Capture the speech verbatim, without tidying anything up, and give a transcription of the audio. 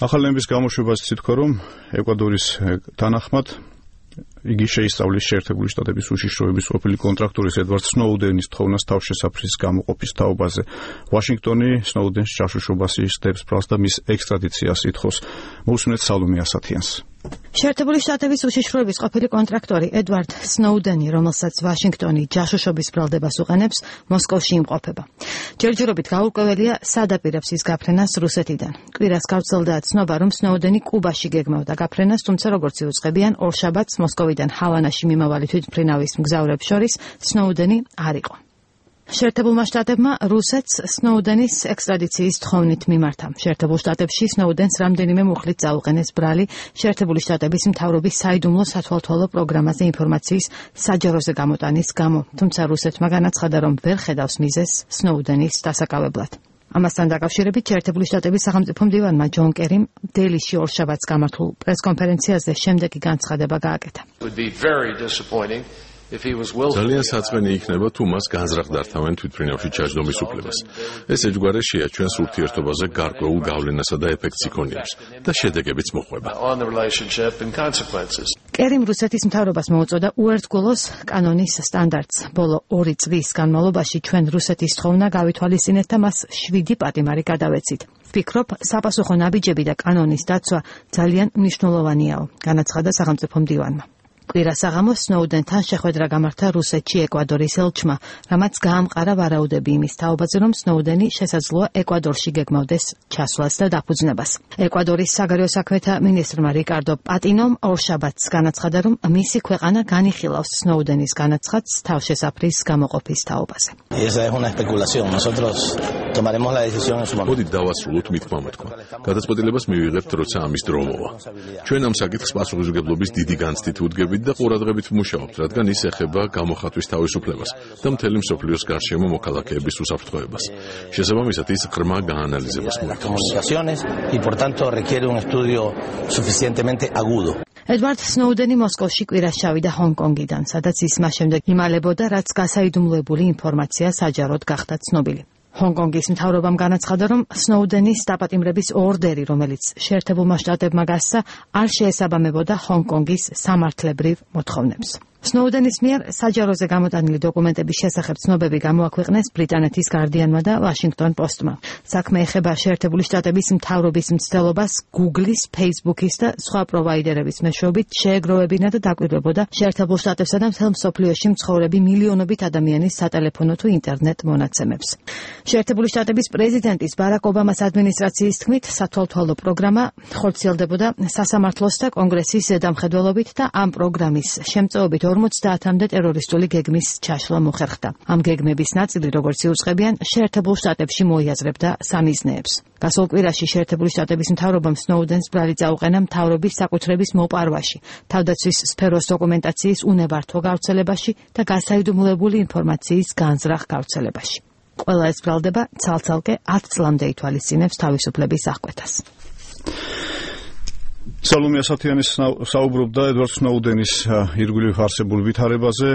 ახალი ნორმების გამოშვებას ითქვა, რომ ეკვადორის თანახმად იგი შეისწავლის შეერთებული შტატების უშიშროების ყოფილი კონტრაქტორის ედვარდ სნოუდენის თხოვნას თავშესაფრის გამოყოფის თაობაზე. ვაშინგტონი სნოუდენს ჯაშუშობას იხდებს ბრალს და მის ექსტრადიციას ითხოვს. მოусმინეთ სალომე ასათიანს. შეერთებული შტატების უშიშროების ყოფილი კონტრაქტორი ედვარდ სნოუდენი, რომელსაც ვაშინგტონი ჯაშუშობის ბრალდებას უყენებს, მოსკოვში იმყოფება. ჯერჯერობით გაურკვეველია, სად აპირებს ის გაფრენას რუსეთიდან. კვირას გავრცელდა ცნობა, რომ სნოუდენი კუბაში გეგმავდა გაფრენას, თუმცა როგორც იუწყებიან, ორშაბათს მოსკოვიდან ჰავანაში მიმავალი თვითმფრინავის მგზავრებს შორის სნოუდენი არ იყო. შეერთებულმა შტატებმა რუსეთს სნოუდენის ექსტრადიციის თხოვნით მიმართა. შეერთებულ შტატებში სნოუდენს რამდენიმე მუხლით წაუყენეს ბრალი შეერთებული შტატების მთავრობის საიდუმლო სათვალთვალო პროგრამაზე ინფორმაციის საჯაროზე გამოტანის გამო, თუმცა რუსეთმა განაცხადა, რომ ვერ ხედავს მიზეზს სნოუდენის დასაკავებლად. ამასთან დაკავშირებით შეერთებული შტატების სახელმწიფო მდივანმა ჯონ კერიმ დელიში ორშაბათს გამართულ პრესკონფერენციაზე შემდეგი განცხადება გააკეთა. ძალიან საწყენი იქნება, თუ მას განზრახდართავენ თვითმფრინავში ჩაჯდომის უფლებას. ეს ეჯგვარეშია ჩვენს ურთიერთობაზე გარკვეულ გავლენასა და ეფექტს იქონიებს და შედეგებიც მოყვება. კერიმ რუსეთის მთავრობას მოუწოდა უერთგულოს კანონის სტანდარტს. ბოლო ორი წლის განმავლობაში ჩვენ რუსეთის თხოვნა გავითვალისწინეთ და მას შვიდი პატიმარი გადავეცით. ვფიქრობ, საპასუხო ნაბიჯები და კანონის დაცვა ძალიან მნიშვნელოვანიაო, განაცხადა სახელმწიფო მდივანმა. კვირას საღამოს სნოუდენთან შეხვედრა გამართა რუსეთში ეკვადორის ელჩმა, რამაც გაამყარა ვარაუდები იმის თაობაზე, რომ სნოუდენი შესაძლოა ეკვადორში გეგმავდეს ჩასვლას და დაფუძნებას. ეკვადორის საგარეო საქმეთა მინისტრმა რიკარდო პატინომ ორშაბათს განაცხადა, რომ მისი ქვეყანა განიხილავს სნოუდენის განაცხადს თავშესაფრის გამოყოფის თაობაზე. მოდით დავასრულოთ მithმა-მოთქმა. გადაწყვეტილებას მივიღებთ, როცა ამის დრო მოვა. ჩვენ ამ საკითხს პასუხისმგებლობის დიდი განცდით ვუდგებით და ყურადღებით ვმუშაობთ, რადგან ის ეხება გამოხატვის თავისუფლებას და მთელი მსოფლიოს გარშემო მოქალაქეების უსაფრთხოებას. შესაბამისად, ის ღრმა გაანალიზებას მოითხოვს. ედვარდ სნოუდენი მოსკოვში კვირას ჩავიდა ჰონგ-კონგიდან, სადაც ის მას შემდეგ იმალებოდა, რაც გასაიდუმლოებული ინფორმაცია საჯაროდ გახდა ცნობილი. ჰონგ-კონგის მთავრობამ განაცხადა, რომ სნოუდენის დაპატიმრების ორდერი, რომელიც შეერთებულმა შტატებმა გასცა, არ შეესაბამებოდა ჰონგ-კონგის სამართლებრივ მოთხოვნებს. სნოუდენის მიერ საჯაროზე გამოტანილი დოკუმენტების შესახებ ცნობები გამოაქვეყნეს ბრიტანეთის გარდიანმა და ვაშინგტონ პოსტმა. საქმე ეხება შეერთებული შტატების მთავრობის მცდელობას Google-ის, Facebook-ის და სხვა პროვაიდერების მეშვეობით შეეგროვებინა და დაკვირვებოდა შეერთებულ შტატებსა და მთელ მსოფლიოში მცხოვრები მილიონობით ადამიანის სატელეფონო თუ ინტერნეტ მონაცემებს. შეერთებული შტატების პრეზიდენტის ბარაკ ობამას ადმინისტრაციის თქმით, სათვალთვალო პროგრამა ხორციელდებოდა სასამართლოს და კონგრესის ზედამხედველობით და ამ პროგრამის შემწეობით ორმოცდაათამდე ტერორისტული გეგმის ჩაშლა მოხერხდა. ამ გეგმების ნაწილი, როგორც იუწყებიან, შეერთებულ შტატებში მოიაზრებდა სამიზნეებს. გასულ კვირაში შეერთებული შტატების მთავრობამ სნოუდენს ბრალი წაუყენა მთავრობის საკუთრების მოპარვაში, თავდაცვის სფეროს დოკუმენტაციის უნებართვო გავრცელებაში და გასაიდუმლოებული ინფორმაციის განზრახ გავრცელებაში. ყველა ეს ბრალდება ცალ-ცალკე ათ წლამდე ითვალისწინებს თავისუფლების აღკვეთას. სალომე ასათიანი საუბრობდა ედვარდ სნოუდენის ირგვლივ არსებულ ვითარებაზე.